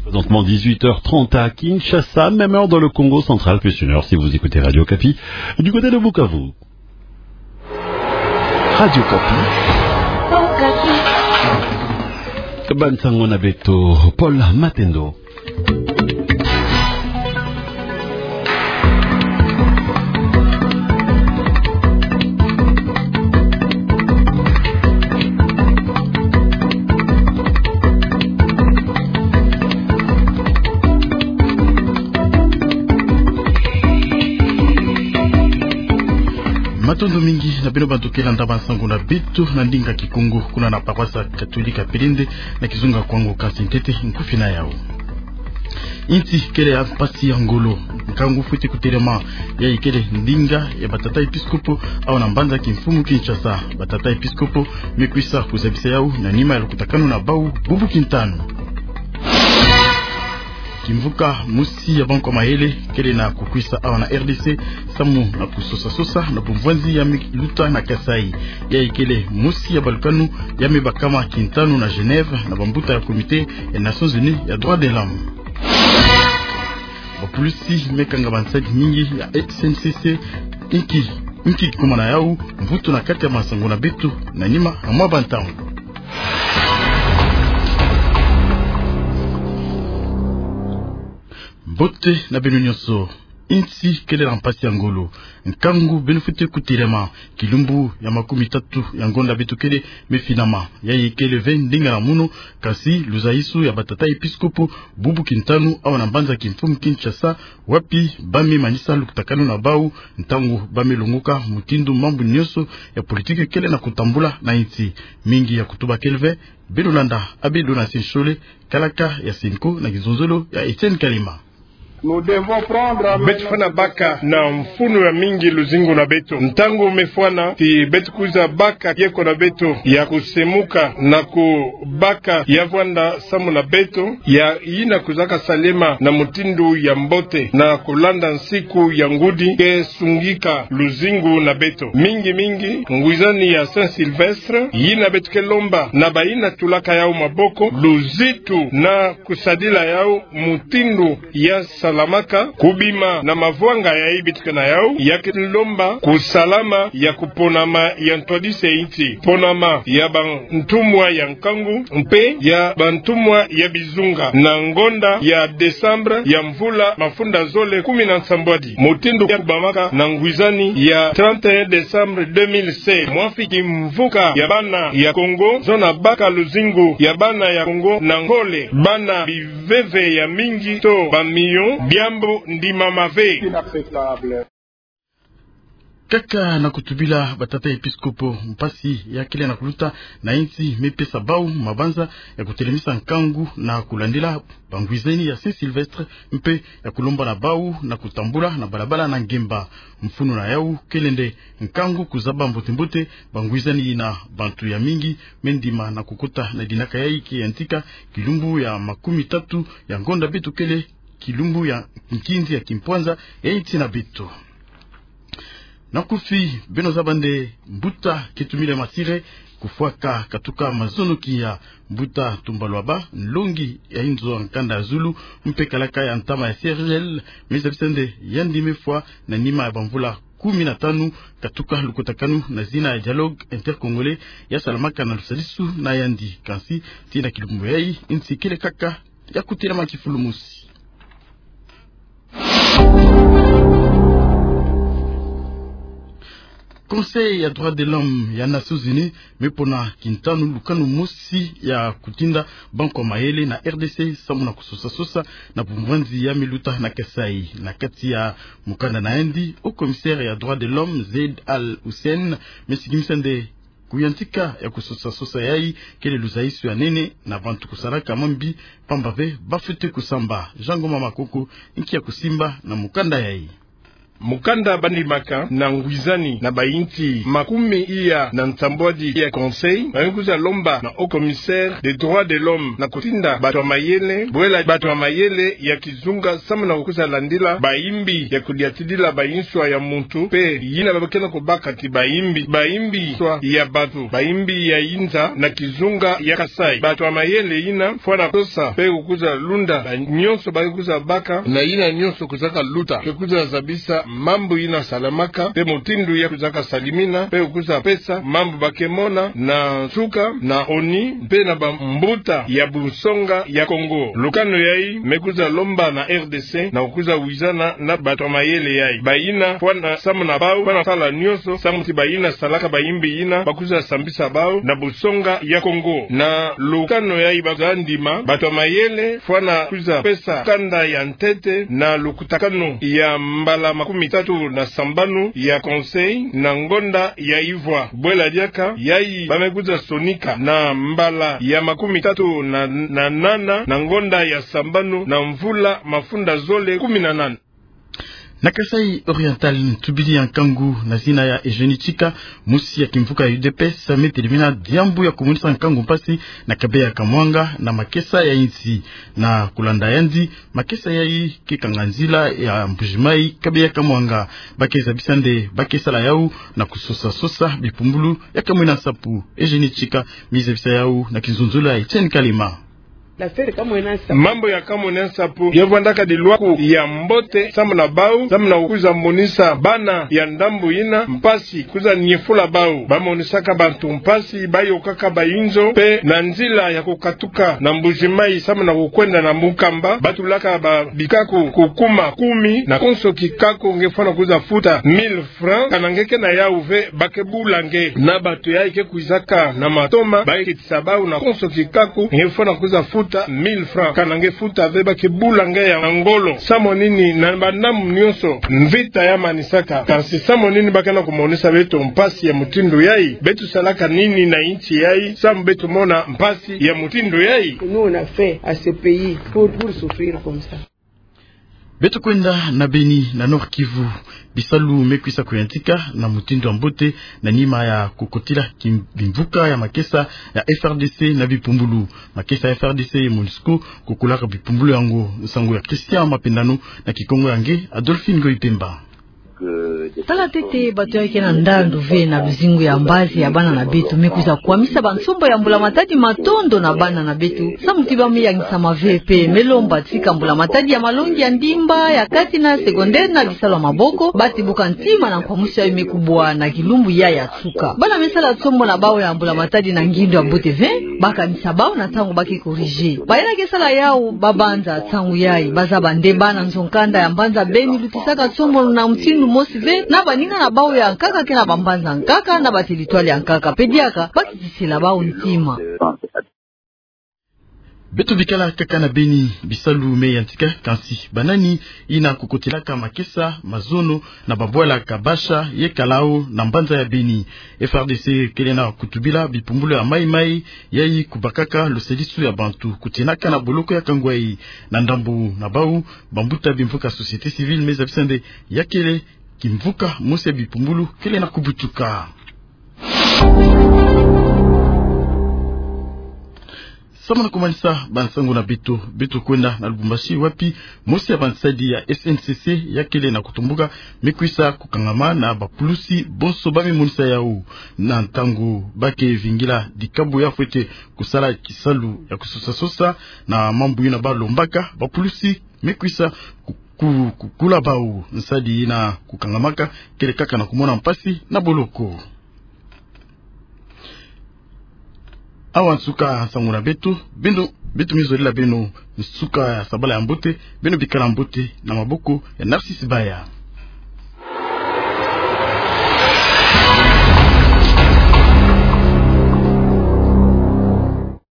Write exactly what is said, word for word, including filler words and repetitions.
Présentement dix-huit heures trente à Kinshasa, même heure dans le Kongo central, plus une heure si vous écoutez Radio Okapi du côté de Bukavu. Radio Okapi. Ba nsangu na beto, Paul Matendo. Matondo mingi na bino bantu ke landa ba nsangu na beto na ndinga Kikongo, kuna na paroisse catholique ya Pelende, na kizunga kwa ngo. Kasi ntete nkufi na yau. Insi kele ya mpasi ya ngolo, nkangu fweti kutelama, yayi kele ndinga ya batata episkopo awa na mbanza kimfumu Kinshasa. Batata episkopo me kwisa kuzabisa yau na nima ya lukutakanu na bau bubu kintanu. Kimvuka mosi ya bankwa mayele kele na kukwisa awa na R D C, samu na kusosa-sosa na bumvwanzi ya miluta na Kasaï. Yayi kele mosi ya balukanu ya me bakama kintanu na Genève na bambuta ya Comité ya Nations Unies ya Droits de l'Homme. Bapulusi me kanga bansadi mingi ya S N C C, inki, inki kuma na yau mvutu na kati ya ba nsangu na beto na nima ya mwa bantangu. Mbote na beno nyonso. Insi kele na mpasi ya ngolo, nkangu beno fweti kutelama. Kilumbu ya makumi tatu ya ngonda beto kele me finama. Yayi kele ve ndinga na munu, kasi luzayisu ya batata episkopo bubu kintanu awa na mbanza kimfumu Kinshasa, wapi ba me manisa lukutakanu na bau, ntangu ba me longoka mutindu mambu nyonso ya politiki kele na kutambula na insi. Mingi ya kutuba kele ve. Beno landa Abbé Donatien Shole, kalaka ya Cenco, na kizonzolo ya Etienne Kalima. Beto fwana baka na mfunu ya mingi luzingu na beto. Ntangu me fwana ti beto kwiza baka kieko na beto ya kusemuka na kubaka ya vwanda samu na beto, ya yina kwizaka salema na mutindu ya mbote na kulanda nsiku ya ngudi ke sungika luzingu na beto. Mingi-mingi ngwizani ya Saint Sylvestre, yina beto ke lomba na bayina tulaka yau maboko luzitu na kusadila yau mutindu ya salamaka, kubima na mavwanga yayi beto ke na yau, ya ke lomba kusalama ya kuponama ya ntwadisi ya insi, ponama ya bantumwa ya nkangu, mpe ya bantumwa ya bizunga, na ngonda ya décembre ya mvula mafunda zole kumi na nsambwadi, mutindu ya kubamaka na ngwizani ya trente et un décembre deux mille seize. Mwa fiki mvuka ya bana ya Kongo, zona baka luzingu ya bana ya Kongo na ngole, bana biveve ya mingi to ba millions, diambu ndimama ve. Kaka na kutubila batata episkopo mpasi ya kele na kuluta na insi, me pesa bau mabanza ya kutelemisa nkangu na kulandila bangwizani ya Saint Sylvestre, mpe ya kulomba na bau na kutambula na balabala na ngemba. Mfunu na yau kele nde nkangu kuzaba mbote-mbote bangwizani yina bantu ya mingi me ndima na kukota na dinaka yayi ke yantika kilumbu ya makumi tatu ya ngonda beto kele, kilumbu ya nkinzi ya kimpwanza ya insi na beto. Na nkufi, beno zaba nde mbuta Ketumile Masire kufwaka katuka mazonoki ya mbuta Tumba Lwaba, nlongi ya inzo ya nkanda ya zulu, mpe kalaka ya ntama ya C R G L, me zabisa nde yandi me fwa na nima ya bamvula kumi na tanu katuka lukutakanu na zina ya Dialogue Intercongolais ya salamaka na lusadisu na yandi. Kansi tii na kilumbu yayi, insi kele kaka ya kutelama kifulumosi. Conseil ya Droits de l'Homme ya Nations Unies me pona kintanu lukanu mosi ya kutinda bankwa mayele na R D C samu na kusosa-sosa na bumvwanzi ya miluta na Kasaï. Na kati ya mukanda na yandi, haut commissaire ya Droits de l'Homme, Zeid Al Hussein, me sikimisa nde kuyantika ya kusosa-sosa yayi kele luzayisu ya nene na bantu kusalaka mambi, pamba ve bafwete kusamba. Jean Ngoma Makoko, inki ya kusimba na mukanda yayi. Mukanda bandimaka na ngwizani na bayinti makumi iya na nsambwadi ya Conseil, bamekwiza lomba na Haut Commissaire des Droits de l'Homme na kutinda bato ya mayele, bwela bato ya mayele ya kizunga samu na kukwiza landila bayimbi ya kudiatidila bayinswa ya muntu, mpe yina babakena kubaka ti bayimbi, bayimbi nswa ya bato, bayimbi ya yinza na kizunga ya Kasaï. Bato ya mayele yina fwana kosa mpe kukwiza lunda ba nyonso bakwiza baka, na yina nyonso kwizaka luta, mpe kwiza zabisa mambu yina salamaka, mpe mutindu ya kwizaka salimina, mpe kwiza pesa mambu bakemona na nsuka, na ONU, mpe na bambuta ya bunsonga ya Kongo. Lukano yayi mekwiza lomba na R D C na kukwiza wizana na bato ya mayele yayi. Bayina fwana samu na bawu, fwana sala nyonso samu ti bayina salaka bayimbi yina bakwiza sambisa bawu na bunsonga ya Kongo. Na lukano yayi bakwiza ndima, bato ya mayele fwana kwiza pesa kanda ya ntete na lukutakanu ya mbala makumi tatu na sambanu ya Conseil na ngonda ya ivwa. Bwela diaka yayi bamekwiza sonika na mbala ya makumi tatu na, na nana na ngonda ya sambanu na mvula mafunda zole kumi na nana. Na Kasaï Oriental, ntubidi ya nkangu na zina ya Eugénie Tchika, mosi ya kimvuka ya U D P S, ametelemina diambu ya kumonisa nkangu mpasi na Kabeya Kamwanga na makesa ya insi. Na kulanda yandi, makesa yayi ke kanga nzila ya Mbuji-Mayi Kabeya Kamwanga. Ba ke zabisa nde ba ke sala yawu na kusosa-sosa bipumbulu ya kamwena nsapu. Eugénie Tchika, mi zabisa yawu na kinzonzolo ya Etienne Kalema. Mambu ya kamwena nsapu ya vwandaka dilwaku ya mbote samu na bawu, samu na kwiza monisa bana ya ndambu yina mpasi, kwiza nyefula bawu. Bamonisaka bantu mpasi, bayokaka bayinzo, mpe na nzila ya kukatuka na Mbuji-Mayi samu na kukwenda na Mukamba, batulaka ba bikaku kukuma kumi, na konso kikaku nge fwana kwiza futa mille francs, kana nge ke na yawu ve, ba ke bula nge. Na bato yayi ke kwizaka na matoma, ba ke tisa bawu na konso kikaku nge fwana kwiza futa mille francs, kana nge futa ve, ba ke bula nge ya ngolo. Samu nini na bandambu nyonso mvita ya manisaka? Kansi samu nini ba ke na kumonisa beto mpasi ya mutindu yayi? Beto salaka nini na insi yayi samu beto mona mpasi ya mutindu yayi? Nous, on a fait à ce pays pour, pour souffrir comme ça. Beto kwenda na Beni, na Nord-Kivu. Bisalu mekwisa kuyantika na mutindu ya mbote na nima ya kukotila ki-, bimvuka ya makesa ya F R D C na bipumbulu. Makesa ya F R D C ye MONUSCO kukulaka bipumbulu yango. Nsangu ya Christian Mapendano na kikongo ya nge Adolphine Ngoyi Pemba. Tala ntete bato yayi ke na ndandu ve na luzingu ya mbazi ya bana na beto. Mekwiza kwamisa bansombo ya mbula matadi matondo na bana na beto, samu ti ba me yangisama ve, mpe melomba tika mbula matadi ya malongi ya ndimba, ya kati na secondaire na bisalu ya maboko, ba tibuka ntima na nkwamusu yayi me kubwa na kilumbu yayi ya nsuka. Bana me sala nsombo na bawu ya mbula matadi na ngindu ya mbote ve, ba kanisa bawu na ntangu ba ke corriger. Bayina ke sala yawu ba banza ntangu yayi, ba zaba nde bana nzo-nkanda ya mbanza Beni lutisaka nsombo na mutindu mosi ve na baninga na bawu ya nkaka ke na bambanza nkaka na bateritware ya nkaka. Mpe diaka ba kitisela bawu ntima. Beto bikala kaka na Beni, bisalu meyantika, kansi banani yina kukotilaka makesa, mazono na babwala Kabasha ye Kalao na mbanza ya Beni. F R D C kele na kutubila bipumbulu ya mayi-mayi yayi kubakaka lusadisu ya bantu kutinaka na boloko ya Kangwayi. Na ndambu na bawu, bambuta bimvuka société civile me zabisa nde ya kele kimvuka mosi ya bipumbulu kele na kubutuka. Samu na kumanisa bansangu na beto, beto kwenda na Lubumbashi, wapi mosi ya bansadi ya S N C C ya kele na kutumbuka mekwisa kukangama na bapulusi bonso ba me monisa yawu. Na ntangu ba ke vingila dikabu ya fwete kusala kisalu ya kusosa-sosa na mambu yina ba lombaka, bapulusi mekwisa ku-, ku-, kukula bawu. Nsadi yina kukangamaka kele kaka na kumona mpasi na boloko. Awa nsuka nsangu na beto, beno, beto me zolela beno nsuka ya sabala ya mbote, beno bikala mbote na maboko ya Narcisse Baya.